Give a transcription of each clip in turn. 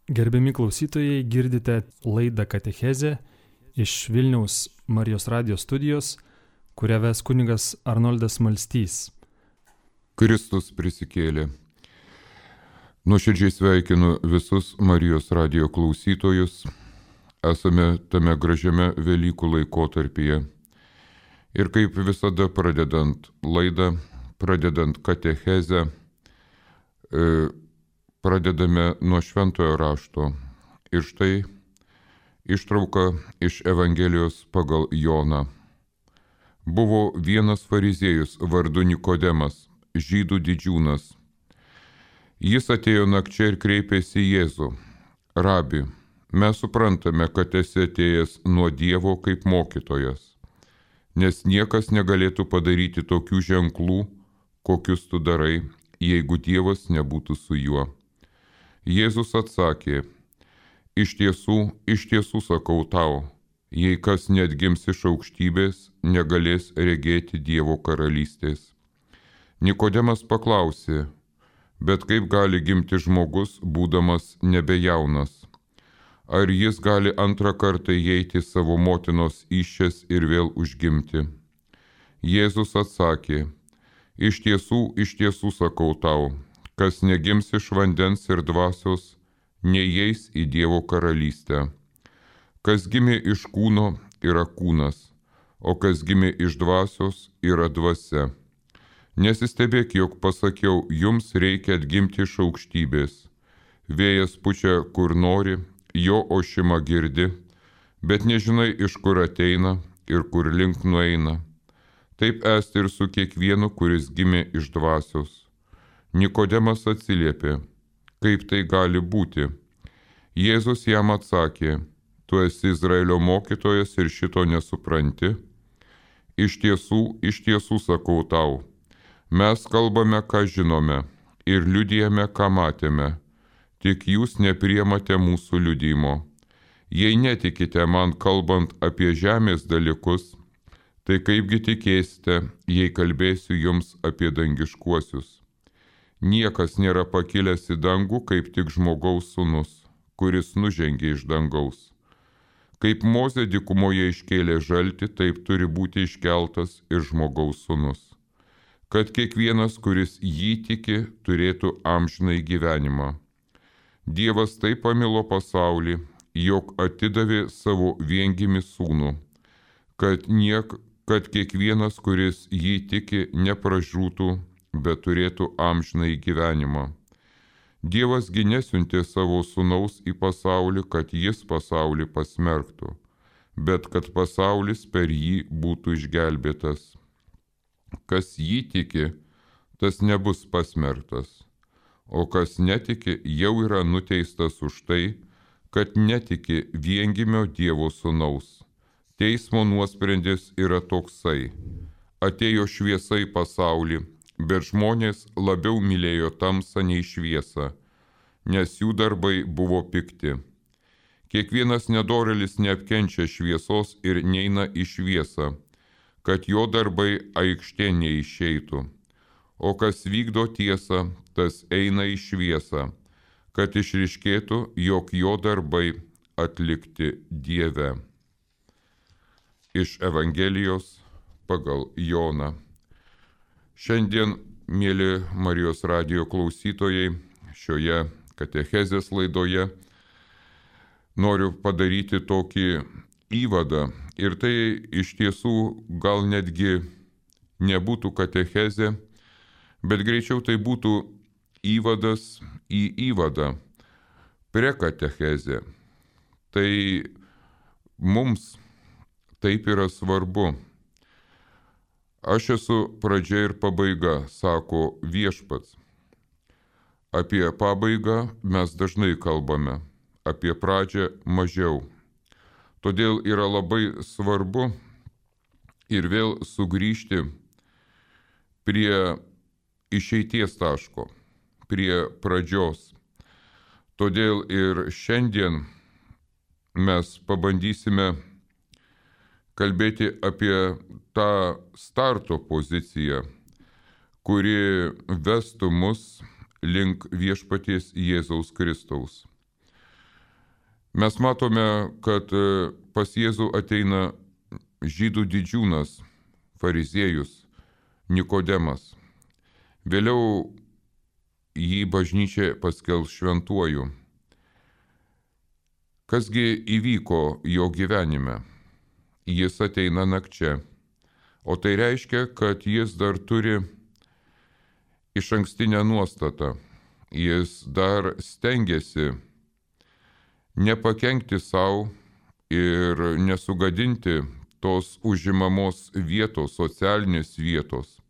Gerbiami klausytojai, girdite laidą Katechezė iš Vilniaus Marijos radijos studijos, kurią ves kunigas Arnoldas Malstys. Kristus prisikėlė. Nuoširdžiai sveikinu visus Marijos radijo klausytojus. Esame tame gražiame Velykų laikotarpyje. Ir kaip visada pradedant laidą, pradedant katechezę, pradedame nuo šventojo rašto. Ir štai ištrauka iš Evangelijos pagal Joną. Buvo vienas fariziejus vardu Nikodemas, žydų didžiūnas. Jis atėjo nakčia ir kreipėsi į Jėzų. Rabi, mes suprantame, kad esi atėjęs nuo Dievo kaip mokytojas, nes niekas negalėtų padaryti tokių ženklų, kokius tu darai, jeigu Dievas nebūtų su juo. Jėzus atsakė, iš tiesų sakau tau, jei kas neatgims iš aukštybės, negalės regėti Dievo karalystės. Nikodemas paklausė, bet kaip gali gimti žmogus, būdamas nebejaunas? Ar jis gali antrą kartą įeiti savo motinos įsčias ir vėl užgimti? Jėzus atsakė, iš tiesų sakau tau, kas negims iš vandens ir dvasios, neįeis į Dievo karalystę. Kas gimė iš kūno, yra kūnas, o kas gimė iš dvasios, yra dvasia. Nesistebėk, jog pasakiau, jums reikia atgimti iš aukštybės. Vėjas pučia, kur nori, jo ošimą girdi, bet nežinai, iš kur ateina ir kur link nueina. Taip esti ir su kiekvienu, kuris gimė iš dvasios. Nikodemas atsiliepė, kaip tai gali būti? Jėzus jam atsakė, tu esi Izraelio mokytojas ir šito nesupranti? Iš tiesų sakau tau, mes kalbame, ką žinome, ir liudijame, ką matėme, tik jūs nepriimate mūsų liudijimo. Jei netikite man kalbant apie žemės dalykus, tai kaipgi tikėsite, jei kalbėsiu jums apie dangiškuosius. Niekas nėra pakilęs į dangų, kaip tik žmogaus sūnus, kuris nužengė iš dangaus. Kaip Mozė dykumoje iškėlė žaltį, taip turi būti iškeltas ir žmogaus sūnus, kad kiekvienas, kuris jį tiki, turėtų amžinąjį gyvenimą. Dievas taip pamilo pasaulį, jog atidavė savo viengimį sūnų, kad kiekvienas, kuris jį tiki, nepražūtų, bet turėtų amžinąjį gyvenimą. Dievas gi nesiuntė savo sūnaus į pasaulį, kad jis pasaulį pasmerktų, bet kad pasaulis per jį būtų išgelbėtas. Kas jį tiki, tas nebus pasmerktas, o kas netiki, jau yra nuteistas už tai, kad netiki viengimio Dievo sūnaus. Teismo nuosprendis yra toksai. Atėjo šviesa į pasaulį, bet žmonės labiau mylėjo tamsą nei šviesą, nes jų darbai buvo pikti. Kiekvienas nedorėlis neapkenčia šviesos ir neina į šviesą, kad jo darbai aikštėn neišeitų. O kas vykdo tiesą, tas eina į šviesą, kad išryškėtų, jog jo darbai atlikti Dieve. Iš Evangelijos pagal Joną. Šiandien, mėly Marijos radijo klausytojai, šioje katechezės laidoje noriu padaryti tokį įvadą. Ir tai iš tiesų gal netgi nebūtų katechezė, bet greičiau tai būtų įvadas į įvadą, prekatechezė. Tai mums taip yra svarbu. Aš esu pradžia ir pabaiga, sako Viešpats. Apie pabaigą mes dažnai kalbame, apie pradžią mažiau. Todėl yra labai svarbu ir vėl sugrįžti prie išeities taško, prie pradžios. Todėl ir šiandien mes pabandysime kalbėti apie tą starto poziciją, kuri vestų mus link viešpaties Jėzaus Kristaus. Mes matome, kad pas Jėzų ateina žydų didžiūnas, fariziejus, Nikodemas. Vėliau jį bažnyčia paskelbs šventuoju. Kasgi įvyko jo gyvenime? Jis ateina nakčia, o tai reiškia, kad jis dar turi išankstinę nuostatą. Jis dar stengiasi nepakenkti savo ir nesugadinti tos užimamos vietos, socialinės vietos,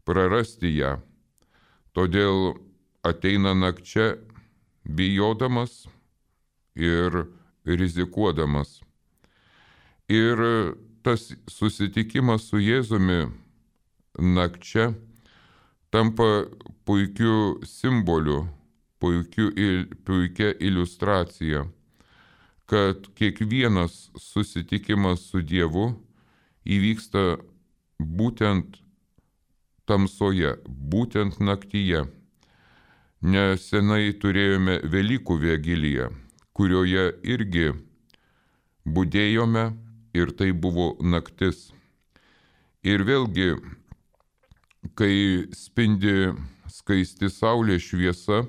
prarasti ją. Todėl ateina nakčia bijodamas ir rizikuodamas. Ir tas susitikimas su Jėzumi nakčia tampa puikiu simboliu, puikia iliustracija, kad kiekvienas susitikimas su Dievu įvyksta būtent tamsoje, būtent naktyje. Nesenai turėjome Velykų vigiliją, kurioje irgi budėjome ir tai buvo naktis. Ir vėlgi, kai spindi skaisti saulės šviesa,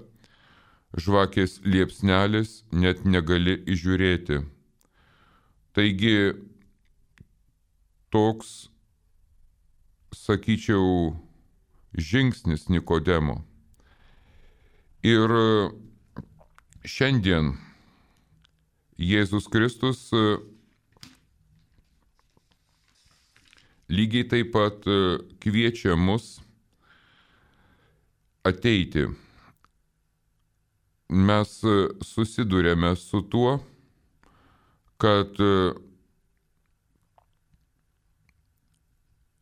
žvakės liepsnelis net negali įžiūrėti. Taigi, toks, sakyčiau, žingsnis Nikodemo. Ir šiandien Jėzus Kristus lygiai taip pat kviečia mus ateiti. Mes susidurėme su tuo, kad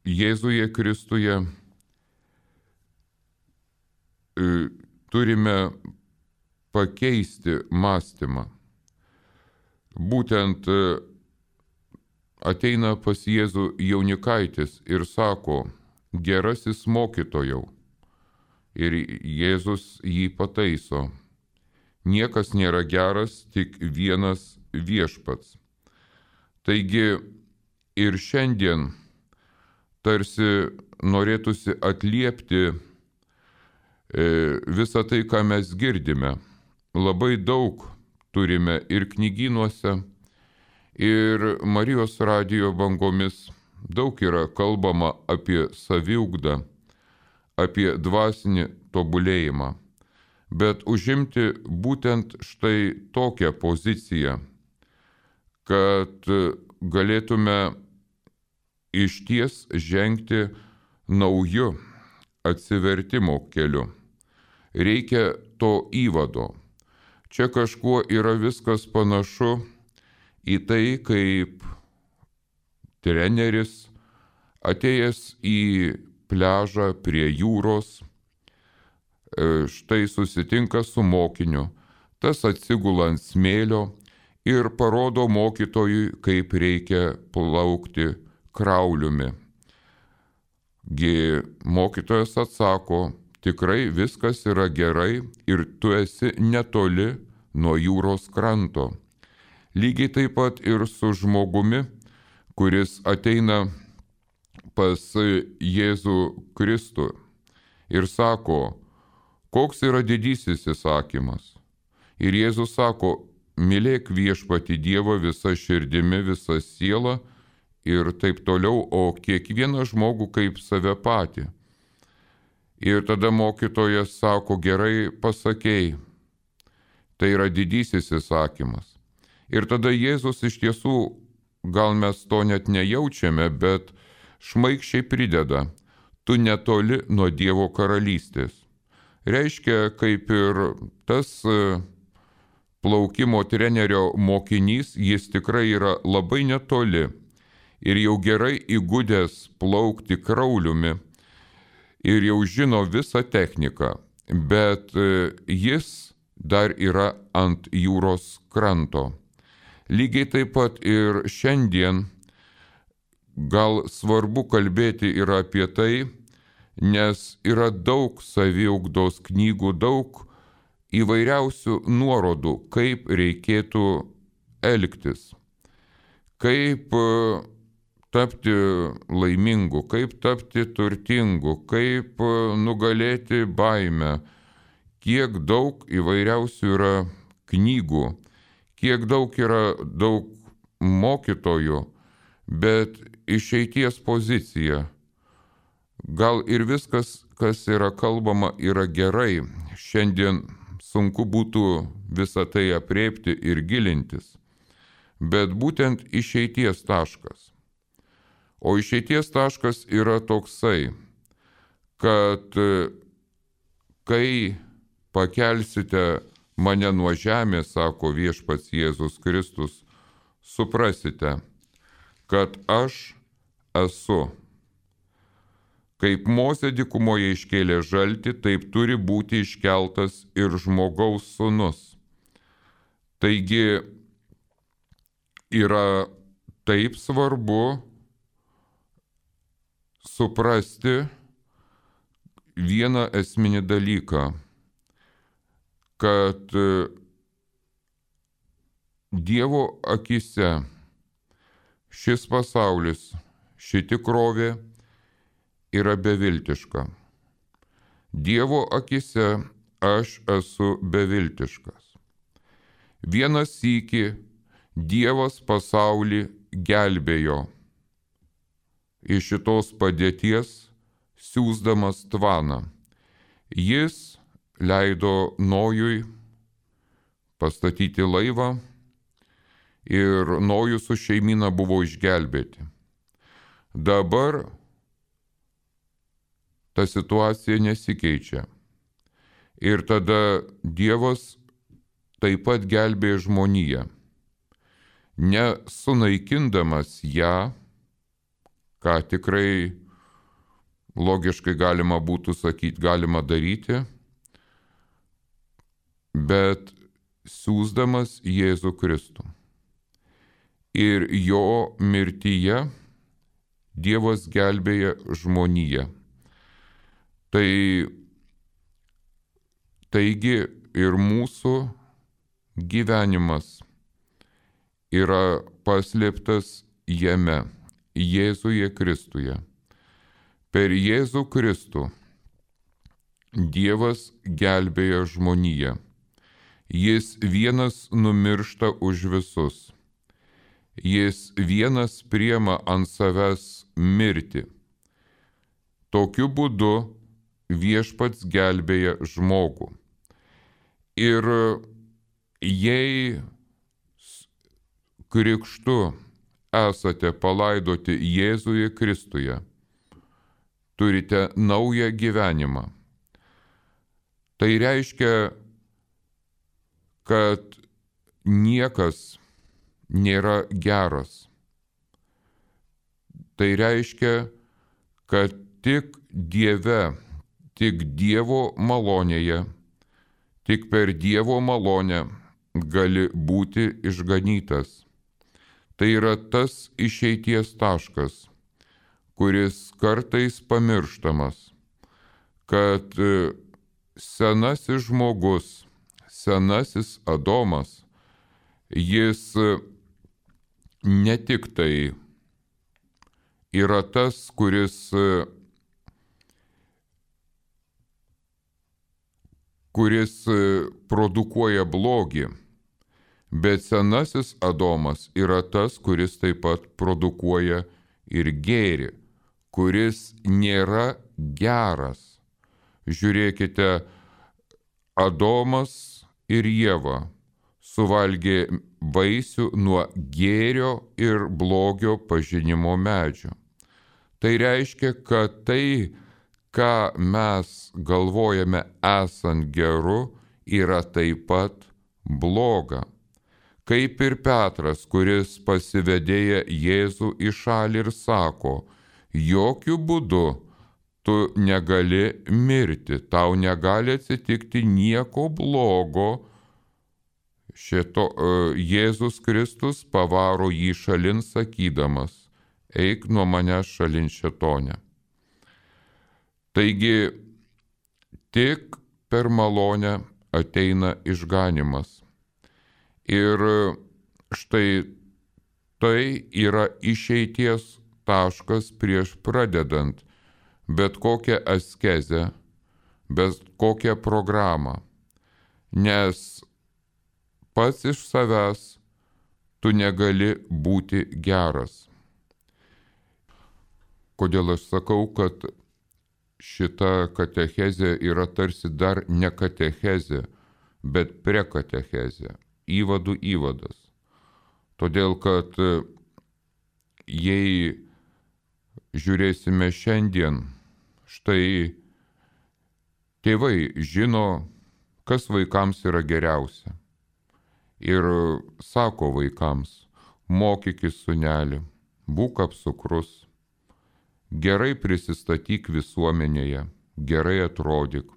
Jėzuje Kristuje turime pakeisti mąstymą. Būtent ateina pas Jėzų jaunikaitis ir sako, gerasis mokytojau. Ir Jėzus jį pataiso. Niekas nėra geras, tik vienas Viešpats. Taigi ir šiandien tarsi norėtųsi atliepti visą tai, ką mes girdime. Labai daug turime ir knygynuose, ir Marijos radijo bangomis. Daug yra kalbama apie saviugdą, apie dvasinį tobulėjimą. Bet užimti būtent štai tokią poziciją, kad galėtume išties žengti nauju atsivertimo keliu. Reikia to įvado. Čia kažkuo yra viskas panašu į tai, kaip treneris atėjęs į pliažą prie jūros, štai susitinka su mokiniu, tas atsigula ant smėlio ir parodo mokytojui, kaip reikia plaukti krauliumi. Mokytojas atsako, tikrai viskas yra gerai ir tu esi netoli nuo jūros kranto. Lygiai taip pat ir su žmogumi, kuris ateina pas Jėzų Kristų ir sako, koks yra didysis įsakymas. Ir Jėzus sako, mylėk Viešpatį Dievą visą širdimi, visą sielą ir taip toliau, o kiekvieną žmogų kaip save patį. Ir tada mokytojas sako, gerai pasakei, tai yra didysis įsakymas. Ir tada Jėzus iš tiesų, gal mes to net nejaučiame, bet šmaikščiai prideda, tu netoli nuo Dievo karalystės. Reiškia, kaip ir tas plaukimo trenerio mokinys, jis tikrai yra labai netoli ir jau gerai įgudęs plaukti krauliumi ir jau žino visą techniką, bet jis dar yra ant jūros kranto. Lygiai taip pat ir šiandien gal svarbu kalbėti ir apie tai, nes yra daug saviugdos knygų, daug įvairiausių nuorodų, kaip reikėtų elgtis, kaip tapti laimingu, kaip tapti turtingu, kaip nugalėti baimę. Kiek daug įvairiausių yra knygų, kiek daug yra daug mokytojų, bet išeities pozicija. Gal ir viskas, kas yra kalbama, yra gerai. Šiandien sunku būtų visą tai aprėpti ir gilintis. Bet būtent išeities taškas. O išeities taškas yra toksai, kad kai pakelsite mane nuo žemės, sako viešpats Jėzus Kristus, suprasite, kad aš esu. Kaip Mozė dykumoje iškėlė žaltį, taip turi būti iškeltas ir žmogaus sūnus. Taigi yra taip svarbu suprasti vieną esminį dalyką, kad Dievo akise šis pasaulis, ši tikrovė yra beviltiška. Dievo akise aš esu beviltiškas. Vieną sykį Dievas pasaulį gelbėjo iš šitos padėties, siųsdamas tvaną. Jis leido Nojui pastatyti laivą ir Nojus su šeimyna buvo išgelbėti. Dabar ta situacija nesikeičia. Ir tada Dievas taip pat gelbėja žmoniją. Nesunaikindamas ją, ką tikrai logiškai galima būtų sakyti, galima daryti, bet siųsdamas Jėzų Kristų. Ir jo mirtyje Dievas gelbėja žmoniją. Taigi ir mūsų gyvenimas yra paslėptas jame, Jėzuje Kristuje. Per Jėzų Kristų Dievas gelbėja žmoniją. Jis vienas numiršta už visus. Jis vienas priima ant savęs mirtį. Tokiu būdu viešpats gelbėja žmogų. Ir jei krikštu esate palaidoti Jėzuje Kristuje, turite naują gyvenimą. Tai reiškia, kad niekas nėra geras. Tai reiškia, kad tik Dieve, tik Dievo malonėje, tik per Dievo malonę gali būti išganytas. Tai yra tas išeities taškas, kuris kartais pamirštamas, kad senasis žmogus, senasis Adomas, jis ne tik tai yra tas, kuris produkuoja blogį, bet senasis Adomas yra tas, kuris taip pat produkuoja ir gėrį, kuris nėra geras. Žiūrėkite, Adomas ir Ieva suvalgė vaisių nuo gėrio ir blogio pažinimo medžio. Tai reiškia, kad tai, ką mes galvojame esant geru, yra taip pat bloga. Kaip ir Petras, kuris pasivedėja Jėzų į šalį ir sako, jokių būdų tu negali mirti, tau negali atsitikti nieko blogo. Jėzus Kristus pavaro jį šalin sakydamas, eik nuo manęs šalin šėtone. Taigi, tik per malonę ateina išganymas. Ir štai tai yra išeities taškas prieš pradedant bet kokią askezę, bet kokią programą, nes pats iš savęs tu negali būti geras. Kodėl aš sakau, kad šita katechezė yra tarsi dar ne katechezė, bet prekatechezė, įvadų įvadas. Todėl, kad jei žiūrėsime šiandien, štai tėvai žino, kas vaikams yra geriausia. Ir sako vaikams, mokykis sūneli, būk apsukrus, gerai prisistatyk visuomenėje, gerai atrodyk,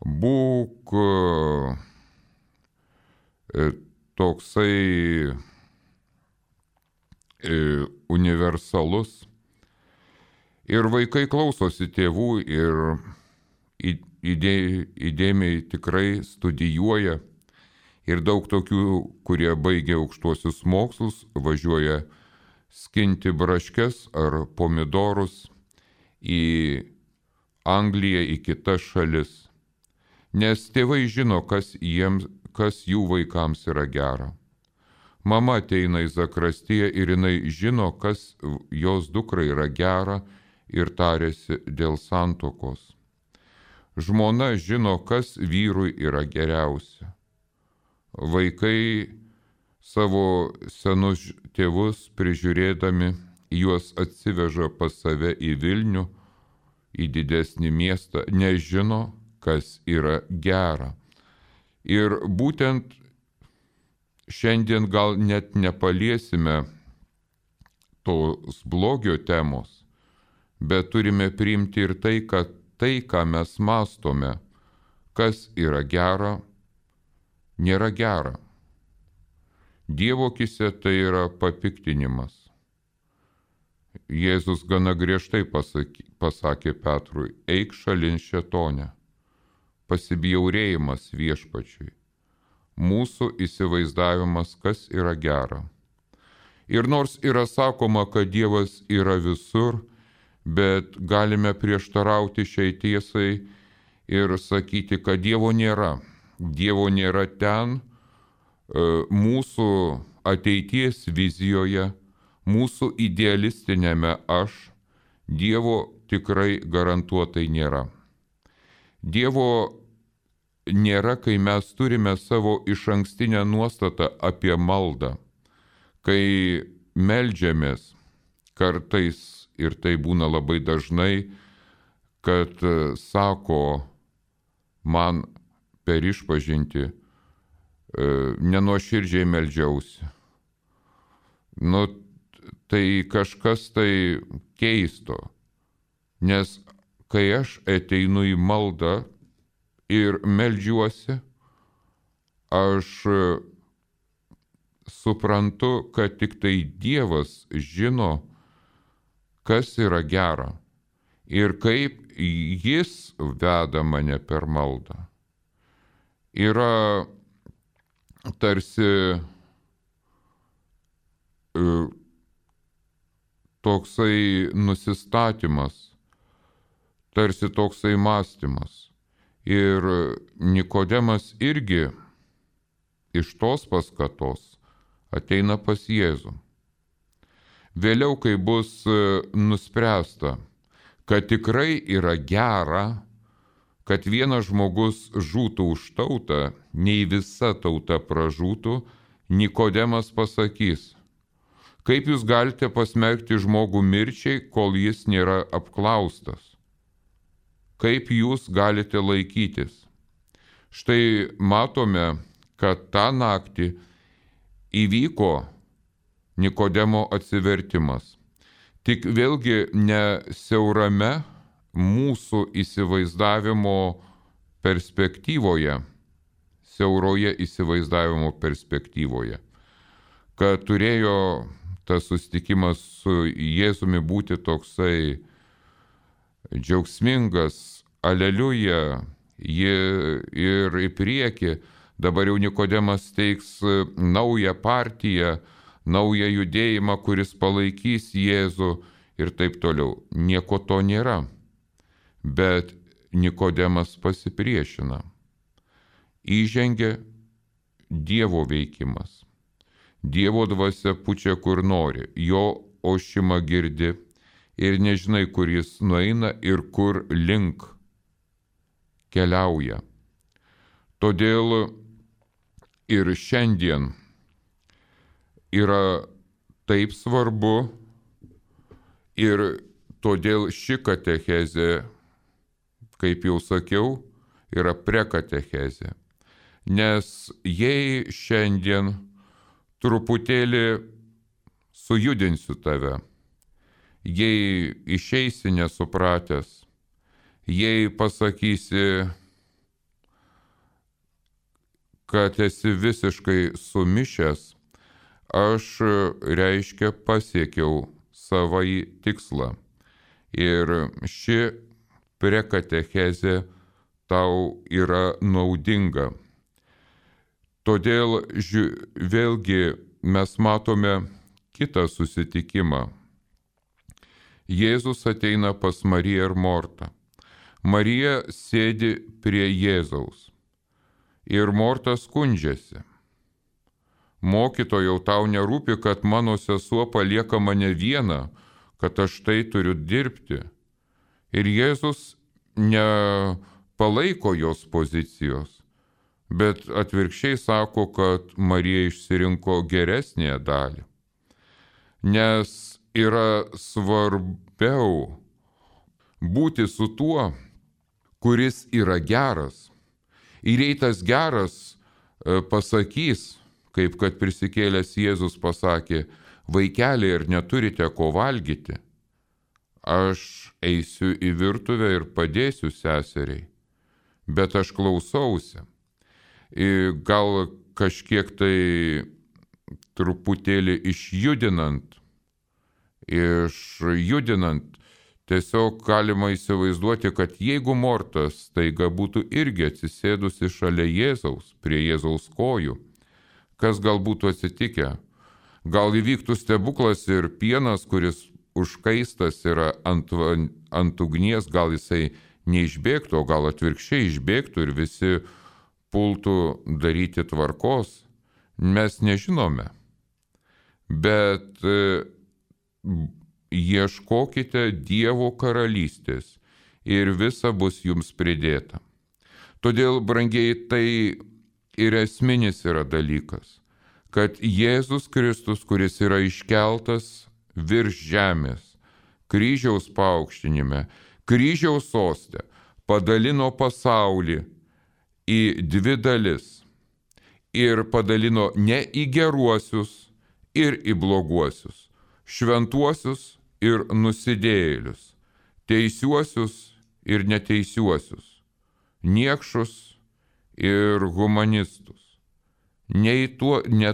būk toksai universalus. Ir vaikai klausosi tėvų ir įdėmiai tikrai studijuoja. Ir daug tokių, kurie baigia aukštuosius mokslus, važiuoja skinti braškes ar pomidorus į Angliją, į kitas šalis. Nes tėvai žino, kas jų vaikams yra gera. Mama ateina į zakristiją ir jinai žino, kas jos dukrai yra gera ir tarėsi dėl santuokos. Žmona žino, kas vyrui yra geriausia. Vaikai savo senus tėvus prižiūrėdami, juos atsiveža pas save į Vilnių, į didesnį miestą, nežino, kas yra gera. Ir būtent šiandien gal net nepaliesime tos blogio temos, bet turime priimti ir tai, kad tai, ką mes mąstome, kas yra gera, nėra gera. Dievo akise tai yra papiktinimas. Jėzus gana griežtai pasakė Petrui, eik šalin šėtone, pasibjaurėjimas viešpačiui, mūsų įsivaizdavimas, kas yra gera. Ir nors yra sakoma, kad Dievas yra visur, bet galime prieštarauti šiai tiesai ir sakyti, kad Dievo nėra. Dievo nėra ten, mūsų ateities vizijoje, mūsų idealistinėme aš, Dievo tikrai garantuotai nėra. Dievo nėra, kai mes turime savo išankstinę nuostatą apie maldą, kai meldžiamės kartais, ir tai būna labai dažnai, kad sako man per išpažintį, nenuoširdžiai meldžiausi. Tai kažkas tai keisto, nes kai aš ateinu į maldą ir meldžiuosi, aš suprantu, kad tik tai Dievas žino, kas yra gera ir kaip Jis veda mane per maldą. Yra tarsi toksai nusistatymas, tarsi toksai mąstymas. Ir Nikodemas irgi iš tos paskatos ateina pas Jėzų. Vėliau, kai bus nuspręsta, kad tikrai yra gera, kad vienas žmogus žūtų už tautą, nei visa tauta pražūtų, Nikodemas pasakys, kaip jūs galite pasmerkti žmogų mirčiai, kol jis nėra apklaustas? Kaip jūs galite laikytis? Štai matome, kad tą naktį įvyko Nikodemo atsivertimas. Tik vėlgi ne siaurame mūsų įsivaizdavimo perspektyvoje, siauroje įsivaizdavimo perspektyvoje, kad turėjo tas susitikimas su Jėzumi būti toksai džiaugsmingas, aleliuja, ir į priekį, Dabar jau Nikodemas teiks naują partiją, naują judėjimą, kuris palaikys Jėzų ir taip toliau. Nieko to nėra. Bet Nikodemas pasipriešina. Įžengia Dievo veikimas. Dievo dvasia pučia kur nori, jo ošimą girdi ir nežinai, kur jis nueina ir kur link keliauja. Todėl ir šiandien yra taip svarbu ir todėl ši katechezė, kaip jau sakiau, yra prekatechezė. Nes jei šiandien truputėlį sujudinsiu tave, jei išeisi nesupratęs, jei pasakysi, kad esi visiškai sumišęs, aš reiškia pasiekiau savąjį tikslą. Ir ši prekatechezė tau yra naudinga. Todėl vėlgi mes matome kitą susitikimą. Jėzus ateina pas Mariją ir Mortą. Marija sėdi prie Jėzaus. Ir Morta skundžiasi. Mokytojau, tau nerūpi, kad mano sesuo palieka mane vieną, kad aš tai turiu dirbti. Ir Jėzus nepalaiko jos pozicijos, bet atvirkščiai sako, kad Marija išsirinko geresnėje dalį. Nes yra svarbiau būti su tuo, kuris yra geras. Ir jei tas geras pasakys, kaip kad prisikėlęs Jėzus pasakė, vaikeliai, ar neturite ko valgyti, aš eisiu į virtuvę ir padėsiu seseriai, bet aš klausausi. Gal kažkiek tai truputėlį išjudinant, tiesiog galima įsivaizduoti, kad jeigu Morta staiga būtų irgi atsisėdusi šalia Jėzaus, prie Jėzaus kojų, kas gal būtų atsitikę? Gal įvyktų stebuklas ir pienas, kuris užkaistas yra ant ugnies, gal jisai neišbėgtų, o gal atvirkščiai išbėgtų ir visi pultų daryti tvarkos. Mes nežinome. Bet ieškokite Dievo karalystės ir visa bus jums pridėta. Todėl, brangieji, tai ir esminis yra dalykas, kad Jėzus Kristus, kuris yra iškeltas virš žemės, kryžiaus paaukštinime, kryžiaus soste, padalino pasaulį į dvi dalis ir padalino ne į geruosius ir į bloguosius, šventuosius ir nusidėjėlius, teisiuosius ir neteisiuosius, niekšus ir humanistus. Ne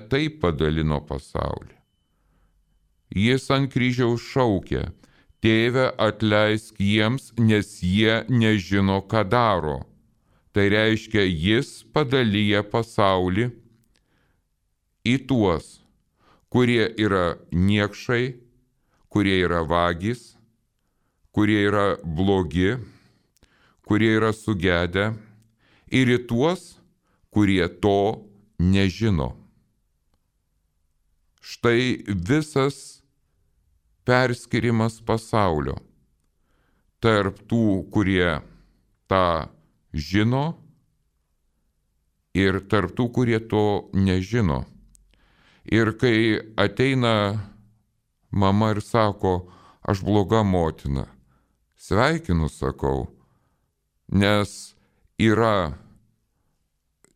taip padalino pasaulį. Jis ant kryžiaus šaukė, Tėve, atleisk jiems, nes jie nežino, ką daro. Tai reiškia, jis padalyja pasaulį į tuos, kurie yra niekšai, kurie yra vagys, kurie yra blogi, kurie yra sugedę, ir į tuos, kurie to nežino. Štai visas perskirimas pasaulio tarp tų, kurie tą žino, ir tarp tų, kurie to nežino. Ir kai ateina mama ir sako, aš bloga motina, sveikinu, sakau, nes yra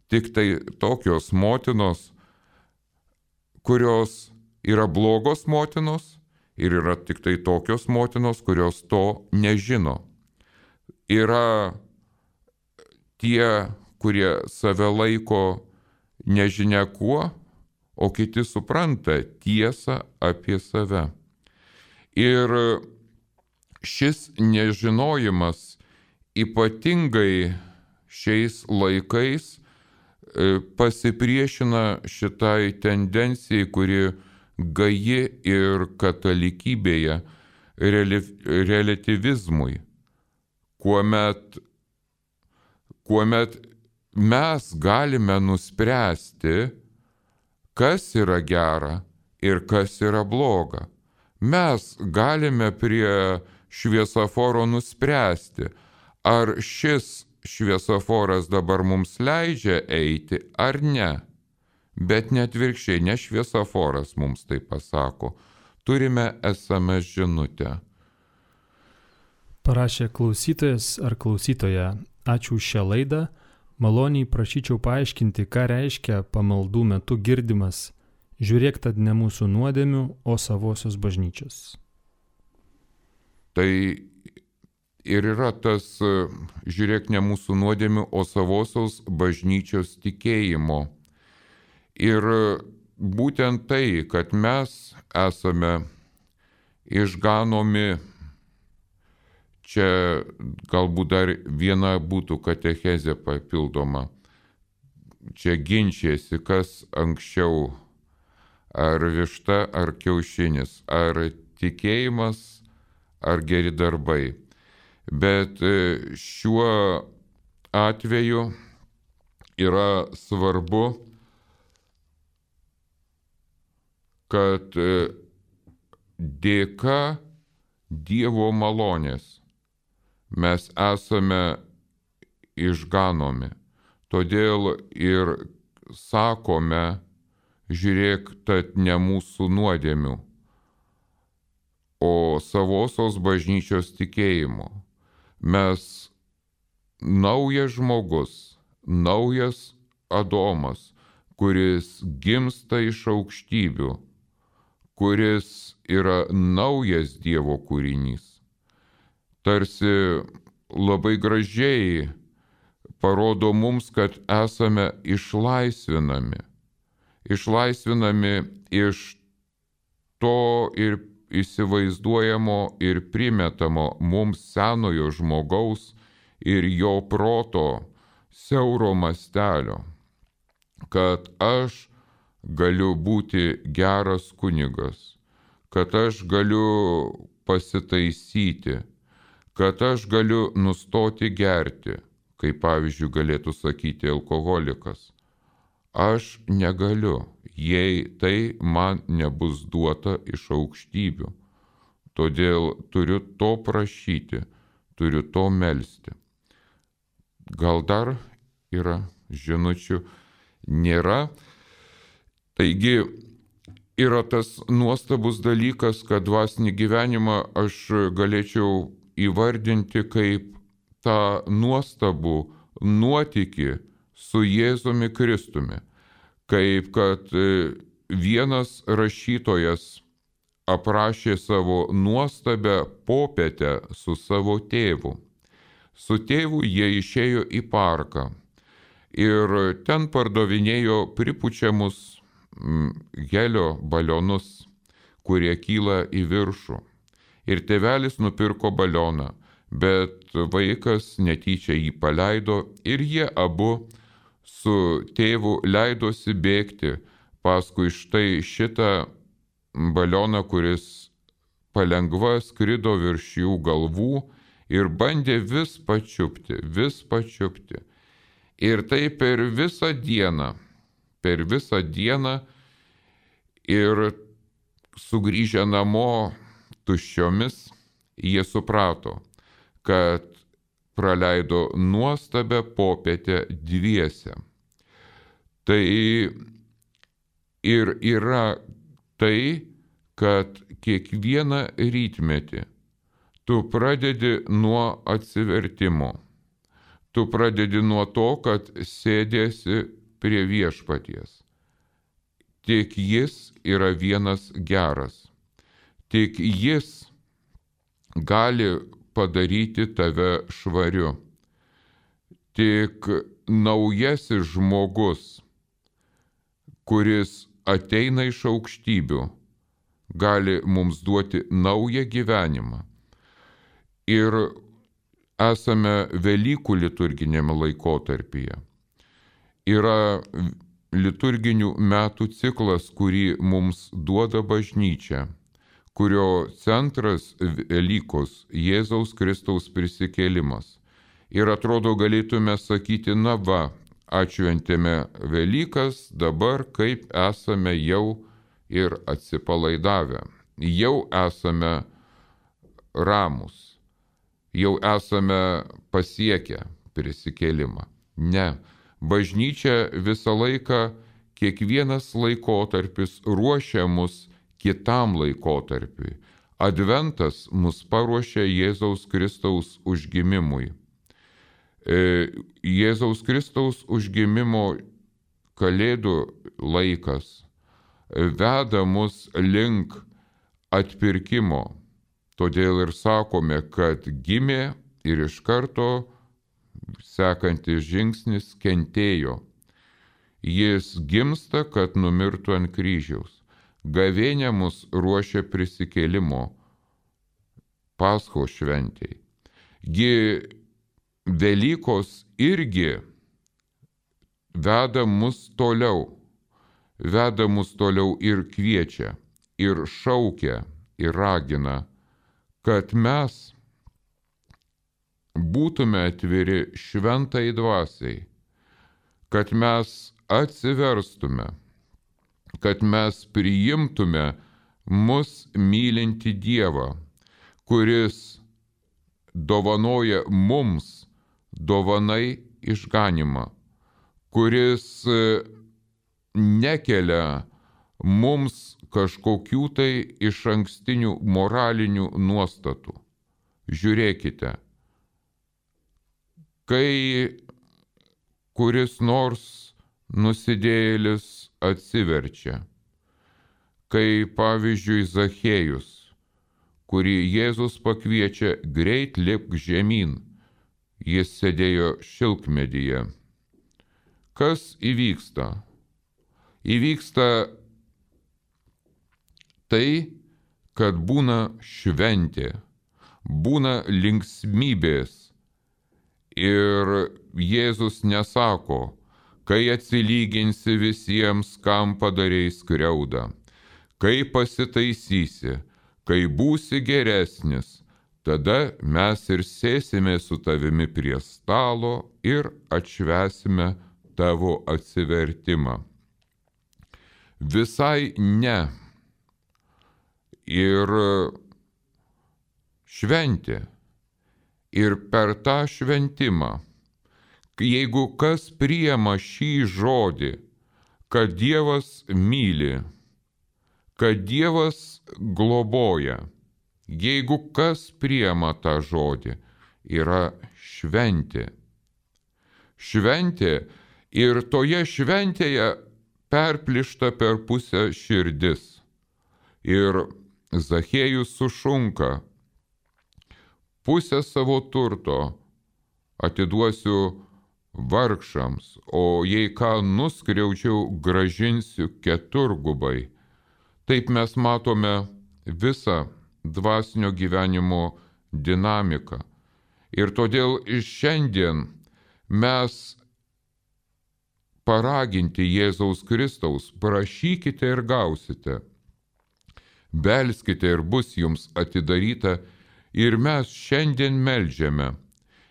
tik tai tokios motinos, kurios yra blogos motinos, ir yra tik tai tokios motinos, kurios to nežino. Yra tie, kurie save laiko nežinia kuo, o kiti supranta tiesą apie save. Ir šis nežinojimas ypatingai šiais laikais pasipriešina šitai tendencijai, kuri gaji ir katalikybėje relativizmui, kuomet mes galime nuspręsti, kas yra gera ir kas yra bloga. Mes galime prie šviesoforo nuspręsti, ar šis šviesoforas dabar mums leidžia eiti ar ne. Bet net virkščiai, ne šviesoforas mums tai pasako. Turime SMS žinutę. Parašė klausytojas ar klausytoja, ačiū už šią laidą. Maloniai prašyčiau paaiškinti, ką reiškia pamaldų metu girdimas. Žiūrėk tad ne mūsų nuodėmių, o savosios bažnyčios. Tai ir yra tas žiūrėk ne mūsų nuodėmių, o savosios bažnyčios tikėjimo. Ir būtent tai, kad mes esame išganomi, čia galbūt dar viena būtų katechezė papildoma. Čia ginčiasi, kas anksčiau, ar višta, ar kiaušinis, ar tikėjimas, ar geri darbai. Bet šiuo atveju yra svarbu, kad dėka Dievo malonės mes esame išganomi. Todėl ir sakome, žiūrėk, tad ne mūsų nuodėmių, o savosios bažnyčios tikėjimo. Mes naujas žmogus, naujas Adomas, kuris gimsta iš aukštybių, kuris yra naujas Dievo kūrinys. Tarsi labai gražiai parodo mums, kad esame išlaisvinami. Išlaisvinami iš to ir įsivaizduojamo ir primetamo mums senojo žmogaus ir jo proto siauro mastelio, kad aš galiu būti geras kunigas, kad aš galiu pasitaisyti, kad aš galiu nustoti gerti, kaip pavyzdžiui galėtų sakyti alkoholikas. Aš negaliu, jei tai man nebus duota iš aukštybių. Todėl turiu to prašyti, turiu to melsti. Gal dar yra žinučių? Nėra. Taigi yra tas nuostabus dalykas, kad dvasinį gyvenimą aš galėčiau įvardinti kaip tą nuostabų nuotykį su Jėzumi Kristumi. Kaip kad vienas rašytojas aprašė savo nuostabę popietę su savo tėvu. Su tėvu jie išėjo į parką ir ten pardavinėjo pripučiamus helio balionus, kurie kyla į viršų. Ir tėvelis nupirko balioną, bet vaikas netyčia jį paleido ir jie abu su tėvu leidosi bėgti paskui štai šitą balioną, kuris palengva skrido virš jų galvų ir bandė vis pačiupti. Ir tai per visą dieną ir sugrįžę namo tuščiomis, jie suprato, kad praleido nuostabę popietę dviese. Tai ir yra tai, kad kiekvieną rytmetį tu pradedi nuo atsivertimo. Tu pradedi nuo to, kad sėdėsi prie viešpaties. Tik jis yra vienas geras. Tik jis gali padaryti tave švariu. Tik naujasis žmogus, kuris ateina iš aukštybių, gali mums duoti naują gyvenimą. Ir esame Velykų liturginėme laikotarpyje. yra liturginių metų ciklas, kurį mums duoda bažnyčia, kurio centras Velykos Jėzaus Kristaus prisikėlimas. Ir atrodo galėtume sakyti, na va, atšventėme Velykas, dabar kaip esame jau ir atsipalaidavę, jau esame ramus, jau esame pasiekę prisikėlimą. Ne, bažnyčia visą laiką, kiekvienas laikotarpis ruošia mus kitam laikotarpiui. Adventas mus paruošia Jėzaus Kristaus užgimimui. Jėzaus Kristaus užgimimo kalėdų laikas veda mus link atpirkimo. Todėl ir sakome, kad gimė ir iš karto sekantis žingsnis kentėjo. Jis gimsta, kad numirtų ant kryžiaus. Gavėnia mus ruošia prisikėlimo Paschos šventei. Gi Velykos irgi veda mus toliau ir kviečia, ir šaukia, ir ragina, kad mes būtume atviri šventai dvasiai, kad mes atsiverstume, kad mes priimtume mus mylinti Dievą, kuris dovanoja mums dovanai išganimą, kuris nekelia mums kažkokių tai išankstinių moralinių nuostatų. Žiūrėkite, kai kuris nors nusidėjėlis atsiverčia, kai pavyzdžiui Zachėjus, kurį Jėzus pakviečia greit lipk žemyn, jis sėdėjo šilkmedyje. Kas įvyksta? Įvyksta tai, kad būna šventė, būna linksmybės ir Jėzus nesako, kai atsilyginsi visiems, kam padarei skriaudą, kai pasitaisysi, kai būsi geresnis, tada mes ir sėsime su tavimi prie stalo ir atšvęsime tavo atsivertimą. Visai ne. Ir šventė. Ir per tą šventimą, jeigu kas priima šį žodį, kad Dievas myli, kad Dievas globoja, jeigu kas priima tą žodį, yra šventė. Šventė ir toje šventėje perplyšta per pusę širdis. Ir Zachėjus sušunka, pusę savo turto atiduosiu vargšams, o jei ką nuskriaučiau, gražinsiu keturgubai. Taip mes matome visą dvasinio gyvenimo dinamiką. Ir todėl šiandien mes paraginti Jėzaus Kristaus, prašykite ir gausite, belskite ir bus jums atidaryta, ir mes šiandien meldžiame.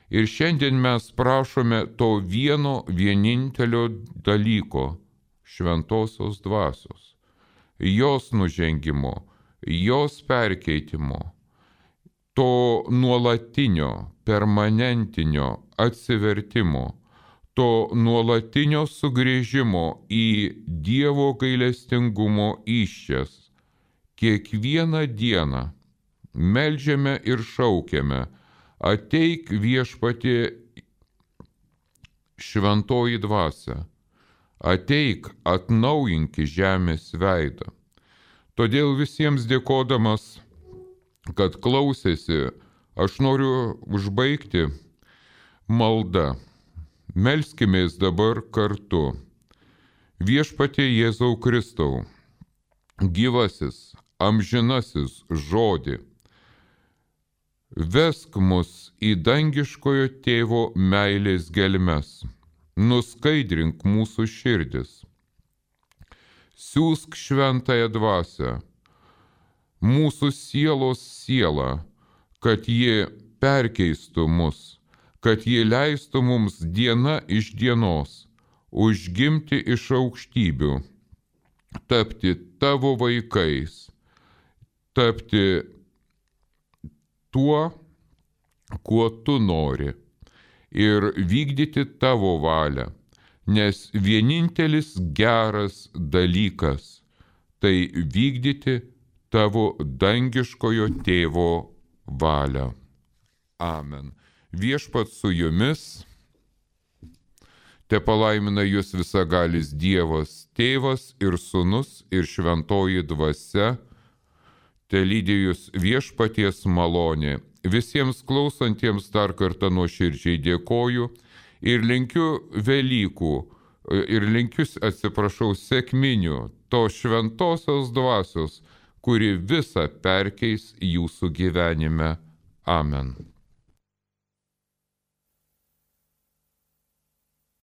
Ir šiandien mes prašome to vieno vienintelio dalyko – šventosios dvasios, jos nužengimo, jos perkeitimo, to nuolatinio, permanentinio atsivertimo, to nuolatinio sugrįžimo į Dievo gailestingumo įsčias. Kiekvieną dieną meldžiame ir šaukiame, ateik viešpatie šventoji dvasia, ateik atnaujinki žemės veidą. Todėl visiems dėkodamas, kad klausėsi, aš noriu užbaigti maldą. Melskimės dabar kartu. Viešpatie Jėzau Kristau, gyvasis, amžinasis žodį, vesk mus į dangiškojo tėvo meilės gelmes, nuskaidrink mūsų širdis. Siūsk šventąją dvasią, mūsų sielos sielą, kad ji perkeistų mus, kad ji leistų mums diena iš dienos užgimti iš aukštybių, tapti tavo vaikais, tapti tuo, kuo tu nori, ir vykdyti tavo valią, nes vienintelis geras dalykas – tai vykdyti tavo dangiškojo tėvo valią. Amen. Viešpats su jumis, te palaimina jūs visagalis Dievas, Tėvas ir Sūnus ir Šventoji Dvasia, te lydi jūs viešpaties malonė. Visiems klausantiems dar kartą nuoširdžiai dėkoju ir linkiu Velykų, ir linkiu, sekminių, tos šventosios dvasios, kuri visą perkeis jūsų gyvenime. Amen.